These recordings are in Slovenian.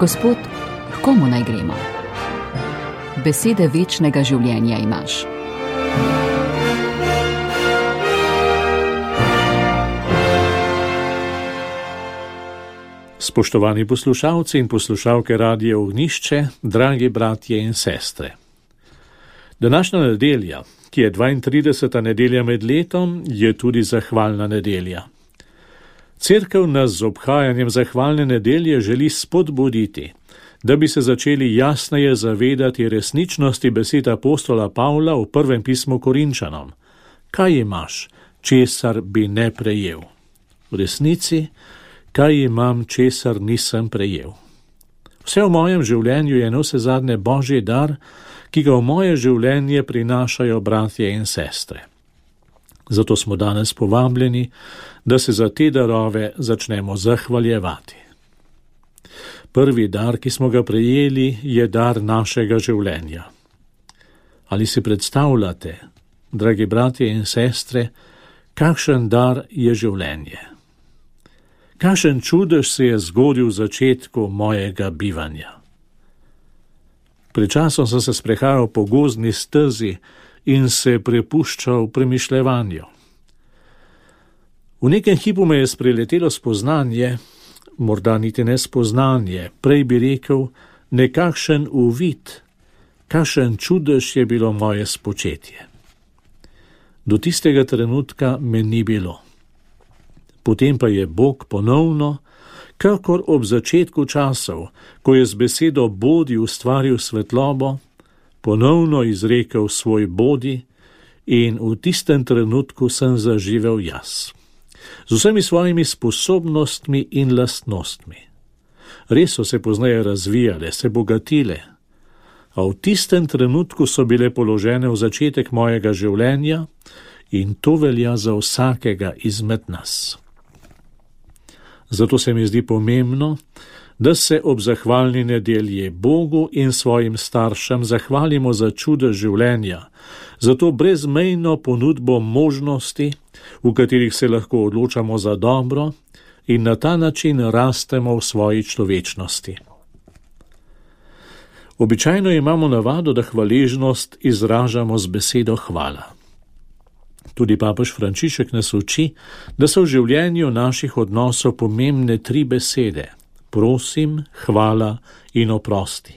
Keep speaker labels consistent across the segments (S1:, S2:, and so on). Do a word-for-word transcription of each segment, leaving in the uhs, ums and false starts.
S1: Gospod, k komu naj gremo? Besede večnega življenja imaš.
S2: Spoštovani poslušalci in poslušalke Radia Ognjišče, dragi bratje in sestre. Današnja nedelja, ki je dvaintrideseta nedelja med letom, je tudi zahvalna nedelja. Cerkev nas z obhajanjem zahvalne nedelje želi spodbuditi, da bi se začeli jasneje zavedati resničnosti besed apostola Pavla v prvem pismu Korinčanom. Kaj imaš, česar bi ne prejel? V resnici, kaj imam, česar nisem prejel? Vse v mojem življenju je navsezadnje Božji dar, ki ga v moje življenje prinašajo bratje in sestre. Zato smo danes povabljeni, da se za te darove začnemo zahvaljevati. Prvi dar, ki smo ga prejeli, je dar našega življenja. Ali si predstavljate, dragi bratje in sestre, kakšen dar je življenje? Kakšen čudež se je zgodil v začetku mojega bivanja? Pred časom sem se sprehajal po gozdni stezi in se prepuščal premišljevanju. V nekem hipu me je spreletelo spoznanje, morda niti ne spoznanje, prej bi rekel nekakšen uvid, kakšen čudež je bilo moje spočetje. Do tistega trenutka me ni bilo. Potem pa je Bog ponovno, kakor ob začetku časov, ko je z besedo bodi ustvaril svetlobo, ponovno izrekel svoj bodi in v tistem trenutku sem zaživel jaz. Z vsemi svojimi sposobnostmi in lastnostmi. Res so se pozneje razvijale, se bogatile, a v tistem trenutku so bile položene v začetek mojega življenja in to velja za vsakega izmed nas. Zato se mi zdi pomembno, da se ob zahvalni nedelji Bogu in svojim staršem zahvalimo za čudež življenja, za to brezmejno ponudbo možnosti, v katerih se lahko odločamo za dobro in na ta način rastemo v svoji človečnosti. Običajno imamo navado, da hvaležnost izražamo z besedo hvala. Tudi papež Frančišek nas uči, da so v življenju naših odnosov pomembne tri besede: prosim, hvala in oprosti.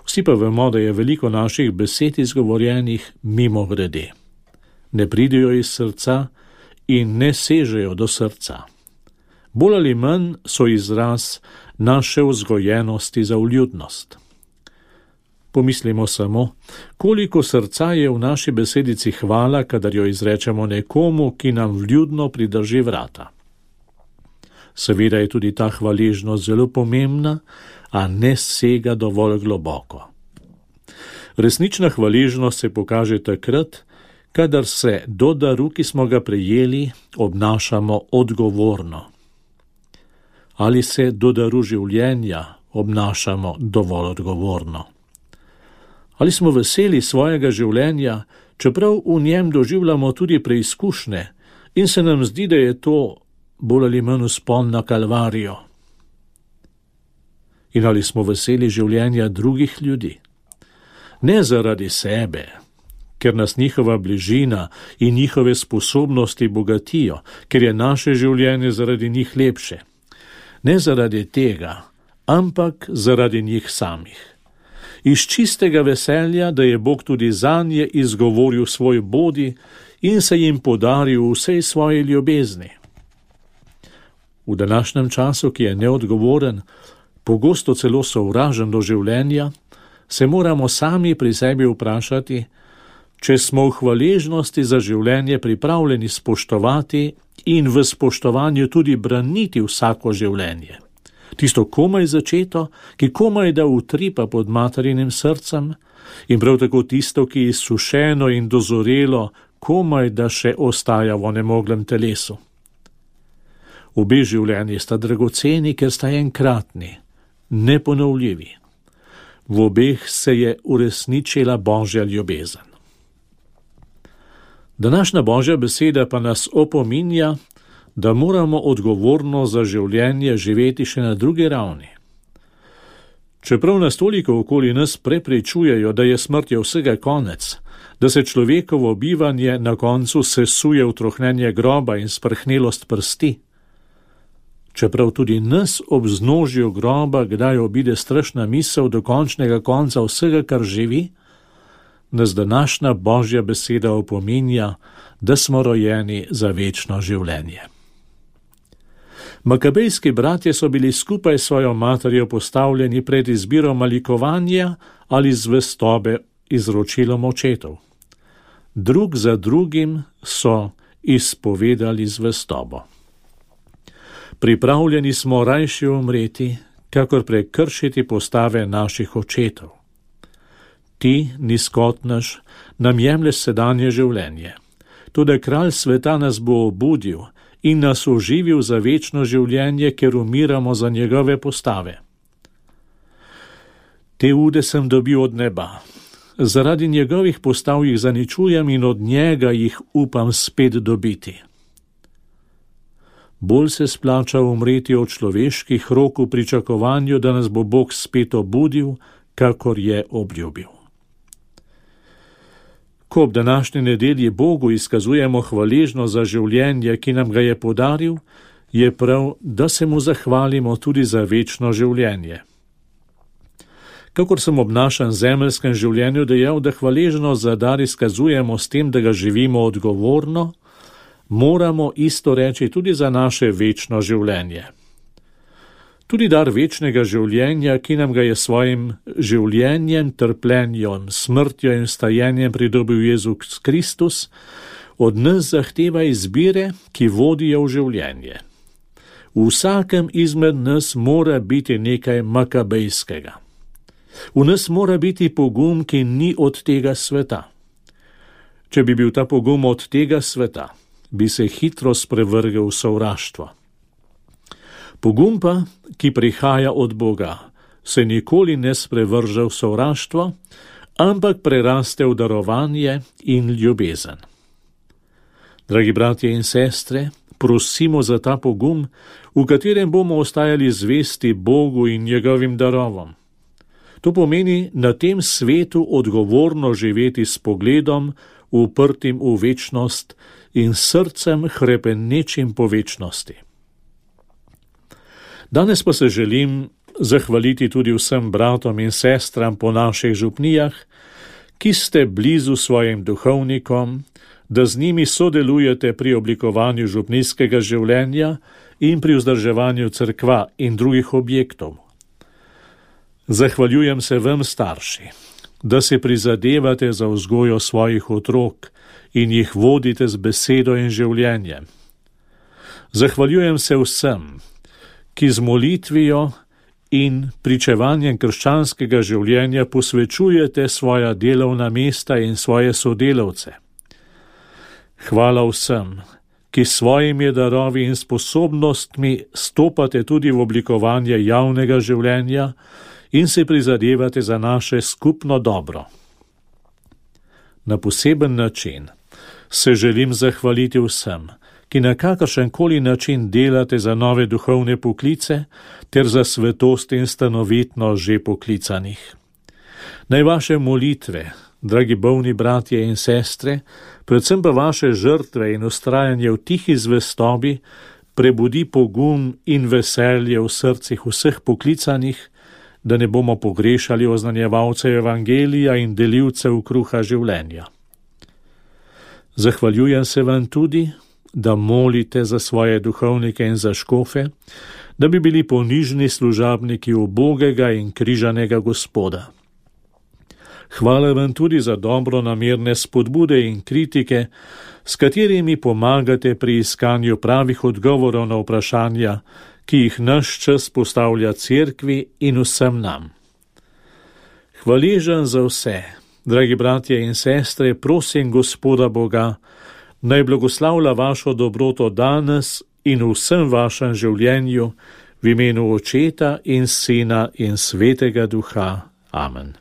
S2: Vsi pa vemo, da je veliko naših besed izgovorjenih mimogrede. Ne pridejo iz srca in ne sežejo do srca. Bolj ali manj so izraz naše vzgojenosti za vljudnost. Pomislimo samo, koliko srca je v naši besedici hvala, kadar jo izrečemo nekomu, ki nam vljudno pridrži vrata. Seveda je tudi ta hvaležnost zelo pomembna, a ne sega dovolj globoko. Resnična hvaležnost se pokaže takrat, kadar se do daru, ki smo ga prejeli, obnašamo odgovorno. Ali se do daru življenja obnašamo dovolj odgovorno. Ali smo veseli svojega življenja, čeprav v njem doživljamo tudi preizkušnje in se nam zdi, da je to bolj ali manj vzpon na Kalvarijo. In ali smo veseli življenja drugih ljudi? Ne zaradi sebe, ker nas njihova bližina in njihove sposobnosti bogatijo, ker je naše življenje zaradi njih lepše. Ne zaradi tega, ampak zaradi njih samih. Iz čistega veselja, da je Bog tudi zanje izgovoril svoj bodi in se jim podaril vsej svoji ljubezni. V današnjem času, ki je neodgovoren, pogosto celo sovražen do življenja, se moramo sami pri sebi vprašati, če smo v hvaležnosti za življenje pripravljeni spoštovati in v spoštovanju tudi braniti vsako življenje. Tisto komaj začeto, ki komaj da utripa pod materinim srcem, in prav tako tisto, ki je sušeno in dozorelo, komaj da še ostaja v onemoglem telesu. Obe življenji sta dragoceni, ker sta enkratni, neponovljivi. V obeh se je uresničila Božja ljubezen. Današnja Božja beseda pa nas opominja, da moramo odgovorno za življenje živeti še na drugi ravni. Čeprav nas toliko okoli nas prepričujejo, da je smrtjo vsega konec, da se človekovo bivanje na koncu sesuje v trohnenje groba in sprhnelost prsti, čeprav tudi nas ob vznožju groba kdaj obide strašna misel do končnega konca vsega, kar živi, nas današnja Božja beseda opominja, da smo rojeni za večno življenje. Makabejski bratje so bili skupaj s svojo materjo postavljeni pred izbiro malikovanja ali zvestobe izročilom očetov. Drug za drugim so izpovedali zvestobo. Pripravljeni smo rajši umreti, kakor prekršiti postave naših očetov. Ti, nizkotnež, nam jemlješ sedanje življenje. Tudi kralj sveta nas bo obudil in nas oživil za večno življenje, ker umiramo za njegove postave. Te ude sem dobil od neba. Zaradi njegovih postav jih zaničujem in od njega jih upam spet dobiti. Bolj se splača umreti od človeških rok v pričakovanju, da nas bo Bog spet obudil, kakor je obljubil. Ko ob današnji nedelji Bogu izkazujemo hvaležnost za življenje, ki nam ga je podaril, je prav, da se mu zahvalimo tudi za večno življenje. Kakor sem ob našem zemeljskem življenju dejal, da hvaležnost za dar izkazujemo s tem, da ga živimo odgovorno, moramo isto reči tudi za naše večno življenje. Tudi dar večnega življenja, ki nam ga je svojim življenjem, trpljenjem, smrtjo in vstajenjem pridobil Jezus Kristus, od nas zahteva izbire, ki vodijo v življenje. V vsakem izmed nas mora biti nekaj makabejskega. V nas mora biti pogum, ki ni od tega sveta. Če bi bil ta pogum od tega sveta, bi se hitro sprevrgel v sovraštvo. Pogum pa, ki prihaja od Boga, se nikoli ne sprevrže v sovraštvo, ampak preraste v darovanje in ljubezen. Dragi bratje in sestre, prosimo za ta pogum, v katerem bomo ostajali zvesti Bogu in njegovim darovom. To pomeni na tem svetu odgovorno živeti s pogledom, uprtim v večnost in srcem hrepenečim po večnosti. Danes pa se želim zahvaliti tudi vsem bratom in sestram po naših župnijah, ki ste blizu svojim duhovnikom, da z njimi sodelujete pri oblikovanju župnijskega življenja in pri vzdrževanju cerkva in drugih objektov. Zahvaljujem se vam, starši, da se prizadevate za vzgojo svojih otrok in jih vodite z besedo in življenjem. Zahvaljujem se vsem, ki z molitvijo in pričevanjem krščanskega življenja posvečujete svoja delovna mesta in svoje sodelavce. Hvala vsem, ki s svojimi darovi in sposobnostmi stopate tudi v oblikovanje javnega življenja in se prizadevate za naše skupno dobro. Na poseben način se želim zahvaliti vsem, ki na kakršenkoli način delate za nove duhovne poklice ter za svetost in stanovitnost že poklicanih. Naj vaše molitve, dragi bolni bratje in sestre, predvsem pa vaše žrtve in ustrajanje v tihi zvestobi, prebudi pogum in veselje v srcih vseh poklicanih, da ne bomo pogrešali oznanjevalcev evangelija in delivcev kruha življenja. Zahvaljujem se vam tudi, da molite za svoje duhovnike in za škofe, da bi bili ponižni služabniki ubogega in križanega Gospoda. Hvala vam tudi za dobronamerne spodbude in kritike, s katerimi pomagate pri iskanju pravih odgovorov na vprašanja, ki jih naš čas postavlja cerkvi in vsem nam. Hvaležen za vse, dragi bratje in sestre, prosim Gospoda Boga, naj blagoslavlja vašo dobroto danes in v vsem vašem življenju, v imenu Očeta in Sina in Svetega Duha. Amen.